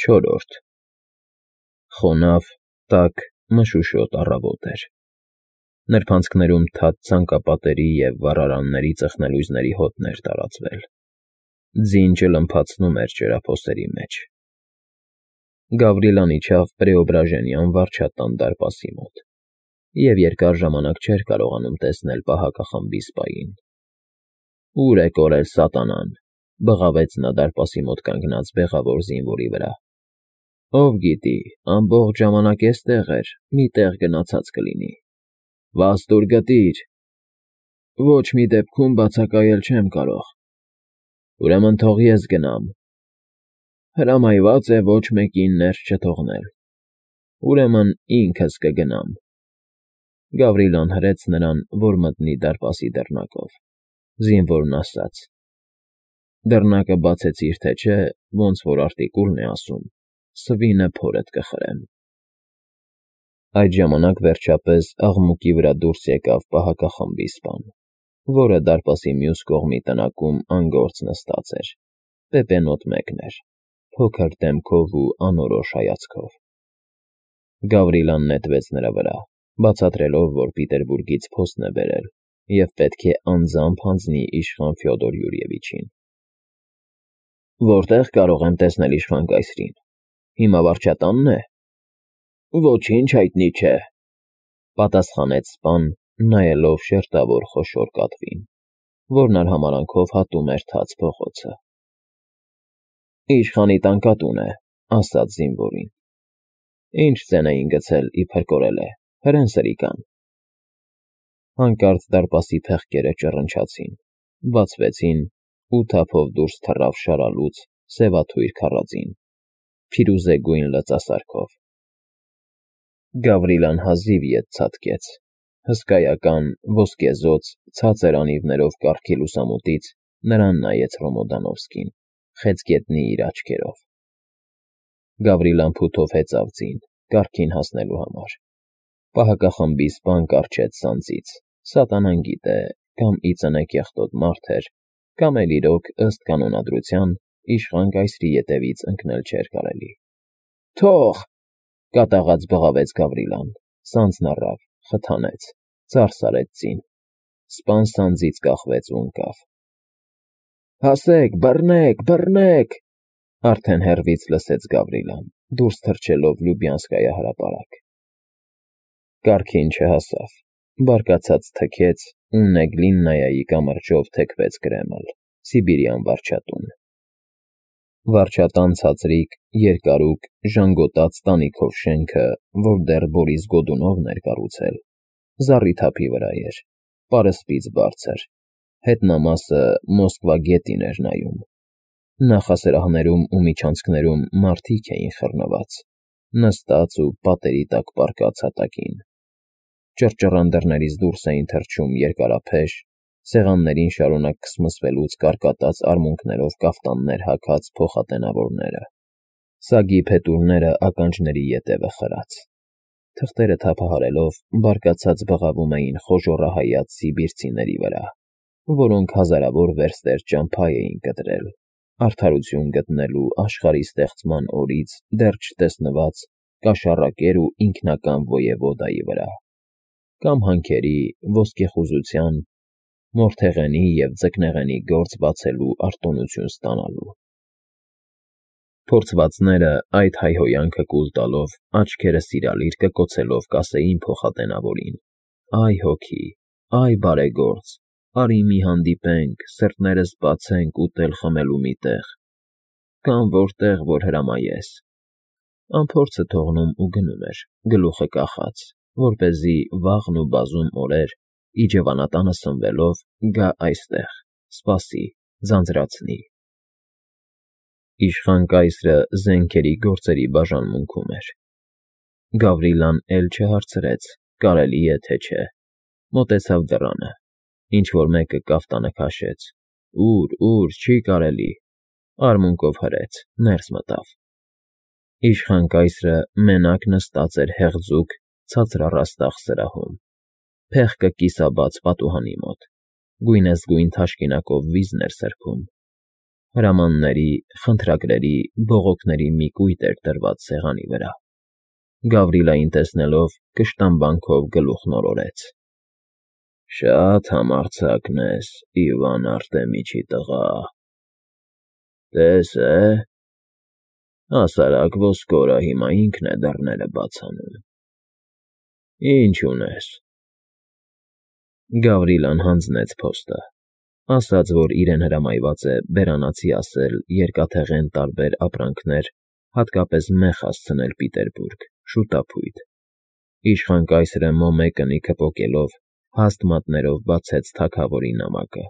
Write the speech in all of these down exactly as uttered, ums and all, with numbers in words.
Չորրորդ Խոնավ, տաք, մշուշոտ առավոտ էր։ Նրբանցքներում թաց ցանկապատերի և վառարանների ծխնելույզների հոտն էր տարածվել, ձին ճլմփացնում էր ջրափոսերի մեջ։ Գավրիելան իջավ Պրեոբրաժենյան վարչատան դարպասի մոտ և երկար ժամանակ չէր կարողանում տեսնել պահակախմբի սպային։ Ո՞ւր է կորել սատանան,֊ բղավեց նա դարպասի մոտ կանգնած բեղավոր զինվորի վրա։ ֊ Ով գիտի, ամբողջ ժամանակ էստեղ էր, մի տեղ գնացած կլինի։ Վազ տուր գտիր։ ֊ Ոչ մի դեպքում բացակայել չեմ կարող։ ֊ Ուրեմն թող ես գնամ։ ֊ Հրամայված է ոչ մեկին ներս չթողնել։ ֊ Ուրեմն ինքս կգնամ։ Գավրիելան հրեց նրան, որ մտնի դարպասի դռնակով։ Զինվորն ասաց. Դռնակը բացեցիր, թե չէ, ոնց որ արտիկուլն է ասում, սվինը փորդ կխրեմ։ Այդ ժամանակ, վերջապես, աղմուկի վրա դուրս եկավ պահակախմբի սպան, որը դարպասի մյուս կողմի տնակում անգործ նստած էր, պեպենոտ մեկն էր, փոքր դեմքով ու անորոշ հայացքով։ Գավրիելան նետվեց նրա վրա, բացատրելով, որ Պիտերբուրգից փոստ է բերել և պետք է անձամբ հանձնի իշխան Ֆյոդոր Յուրիևիչին։ Որտե՞ղ կարող եմ տեսնել իշխան կայսրին։ Հիմա վարչատա՞նն է։ Ոչինչ հայտնի չէ,֊ պատասխանեց սպան, նայելով շերտավոր խոշոր կատվին, որն արհամարհանքով հատում էր թաց փողոցը։ Իշխանի տանկատուն է,֊ ասաց զինվորին։ Ինչ ձեն էին գցել, իբր կորել է, հրեն սրիկան։ Հանկարծ դարպասի փեղկերը ճռնչացին, բացվեցին, ու թափով դուրս թռավ շարալուծ, սևաթույր քառածին, փիրուզեգույն լծասարքով։ Գավրիելան հազիվ ետ ցատկեց, հսկայական, ոսկեզօծ, ցածր անիվներով կառքի լուսամուտից նրան նայեց Ռոմոդանովսկին, խեցգետնի իր աչքերով։ Գավրիելան փութով հեծավ ձին, կառքին հասնելու համար։ Պահակախմբի սպան կառչեց սանձից, սատանան գիտե, կամ ի ծնե կեղտոտ մարդ էր, կամ էլ իրոք, ըստ կանոնադրության, իշխան կայսրի ետևից ընկնել չէր կարելի։ Թող,֊ կատաղած բղավեց Գավրիելան, սանձն առավ, խթանեց, ծարս արեց ձին։ Սպան սանձից կախվեց ու ընկավ։ Հասեք, բռնեք, բռնեք,֊ արդեն հեռվից լսեց Գավրիելան, դուրս թռչելով Լյուբյանսկայա հրապարակ։ Կառքին չհասավ, բարկացած թքեց ու Նեգլիննայի կամրջով թեքվեց Կրեմլ, Սիբիրյան վարչատուն։ Վարչատան ցածրիկ, երկարուկ, ժանգոտած տանիքով շենքը, որ դեռ Բորիս Գոդունովն էր կառուցել, զառիթափի վրա էր, պարսպից բարձր, հետնամասը Մոսկվա գետին էր նայում։ Նախասրահներում ու միջանցքներում մարդիկ էին խռնված, նստած ու պատերի տակ պառկած հատակին։ Ճռճռան դռներից դուրս էին թռչում երկարափեշ, սեղաններին շարունակ քսմսվելուց կարկատած արմունկներով կաֆտաններ հագած փոխատենավորները, սագի փետուրները ականջների ետևը խրած։ Թղթերը թափահարելով, բարկացած բղավում էին խոժոռահայաց սիբիրցիների վրա, որոնք հազարավոր վերստեր ճամփա էին կտրել, արդարություն գտնելու աշխարհի ստեղծման օրից դեռ չտեսնված կաշառակեր ու ինքնական ոյևոդայի վրա, կամ հանքերի, ոսկեխուզության, մորթեղենի և ձկնեղենի գործ բացելու արտոնություն ստանալու։ Փորձվածները այդ հայհոյանքը կուլ տալով, աչքերը սիրալիր կկոցելով կասեին փոխատենավորին. Այ հոգի, այ բարեգործ, արի մի հանդիպենք, սրտներս բացենք ուտել֊խմելու մի տեղ, կամ որտեղ, որ հրամայես։ Անփորձը թողնում ու գնում էր, գլուխը կախած, որպեսզի վաղն ու բազում օրեր, իջևանատանը սնվելով, գա այստեղ, սպասի, ձանձրացնի։ Իշխան կայսրը զենքերի գործերի բաժանմունքում էր։ Գավրիելան էլ չհարցրեց, կարելի է, թե չէ։ Մոտեցավ դռանը, ինչ֊որ մեկը կաֆտանը քաշեց։ Ուր, ուր, չի կարելի։ Արմունկով հրեց, ներս մտավ։ Իշխան կայսրը մենակ նստած էր հեղձուկ, ցածրառաստաղ սրահում, փեղկը կիսաբաց պատուհանի մոտ, գույնզգույն թաշկինակով վիզն էր սրբում։ Հրամանների, խնդրագրերի, բողոքների մի կույտ էր դրված սեղանի վրա։ Գավրիլային տեսնելով, կշտամբանքով գլուխն օրորեց։ Շատ համարձակն ես, Իվան Արտեմիչի տղա։ Տես է, հասարակ ոսկորը հիմա ինքն է դռները բաց անում։ Ինչ ունես։ Գավրիլան հանձնեց փոստը, ասաց, որ իրեն հրամայված է բերանացի ասել երկաթեղեն տարբեր ապրանքներ, հատկապես մեխ հասցնել Պիտերբուրգ, շուտափույթ։ Իշխան կայսրը մոմեկնիկը պոկելով հաստ մատներով բացեց թագավորի նամակը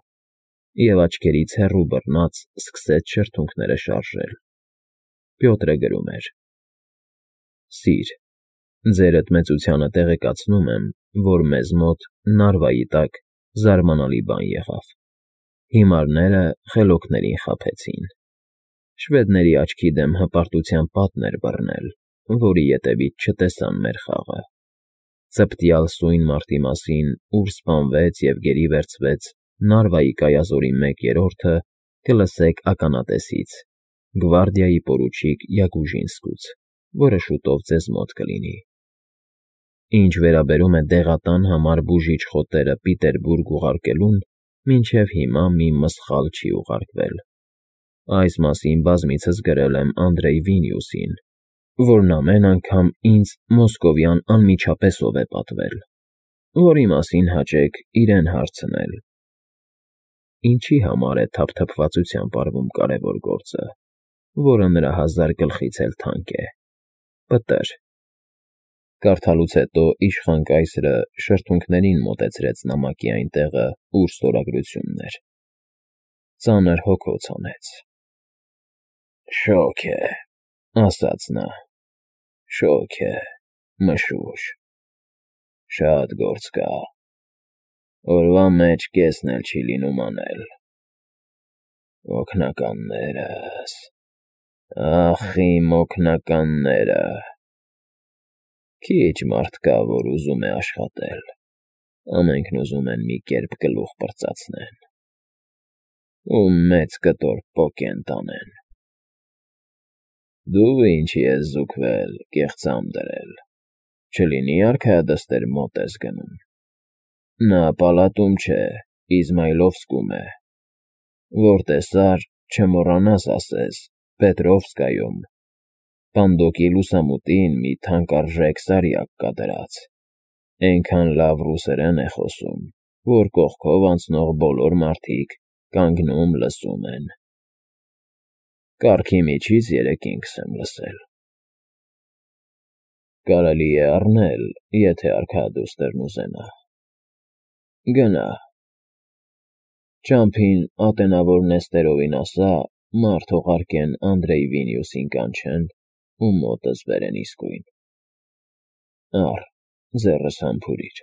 և աչքերից հեռու բռնած սկսեց շրթունքները շարժել։ Պյոտրը գրում էր. Սիր, ձերդ մեծությանը տեղեկացնում եմ, որ մեզ մոտ Նարվայի տակ զարմանալի բան եղավ։ Հիմարները խելոքներին խաբեցին։ Շվեդների աչքի դեմ հպարտության պատն էր բռնել, որի ետևից չտեսան մեր խաղը։ Ծպտյալ սույն մարտի մասին, ուր սպանվեց և գերի վերցվեց Նարվայի կայազորի մեկ երրորդը, կլսեք ականատեսից, գվարդիայի պորուչիկ Յագուժինսկուց, որը շուտով ձեզ մոտ կլինի։ Ինչ վերաբերում է դեղատան համար բուժիչ խոտերը Պիտերբուրգ ուղարկելուն, մինչև հիմա մի մսխալ չի ուղարկվել։ Այս մասին բազմիցս գրել եմ Անդրեյ Վինիուսին, որն ամեն անգամ ինձ մոսկովյան անմիջապես է պատվել, որի մասին հաճեք իրեն հարցնել։ Ինչի համար է թափթփվածությամբ արվում կարևոր գործը, որը նրա հազար գլխից էլ թանկ է։ Պտր։ Կարդալուց հետո իշխան կայսրը շրթունքներին մոտեցրեց նամակի այն տեղը, ուր ստորագրությունն էր։ Ծանր հոգոց հանեց։ Շոգ է, ասաց նա, շոգ է, մշուշ։ Շատ գործ կա։ Օրվա մեջ կեսն էլ չի լինում անել։ Օգնականներս, ախ իմ օգնականները։ Քիչ մարդ կա, որ ուզում է աշխատել, ամենքն ուզում են մի կերպ գլուխ պրծացնեն ու մեծ կտոր պոկեն տանեն։ Դու ինչի ես զուգվել, կեղծամ դրել, չլինի արքայադստեր մոտ ես գնում։ Նա պալատում չէ, Իզմայլովսկում է, որ տեսար, չմոռանաս ասես, Պետրովսկայում, Պանդոկի լուսամուտին մի թանկարժեք սարյակ կա դրած, էնքան լավ ռուսերեն է խոսում, որ կողքով անցնող բոլոր մարդիկ կանգնում լսում են։ Կառքի միջից երեկ ինքս եմ լսել։ Կարելի է առնել, եթե արքայադուստրն ուզենա։ Գնա։ Ճամփին ատենավոր Նեստերովին ասա, մարդ ուղարկեն Անդրեյ Վինիուսին կանչեն ու մոտս բերեն իսկույն։ Առ, ձեռս համբուրիր։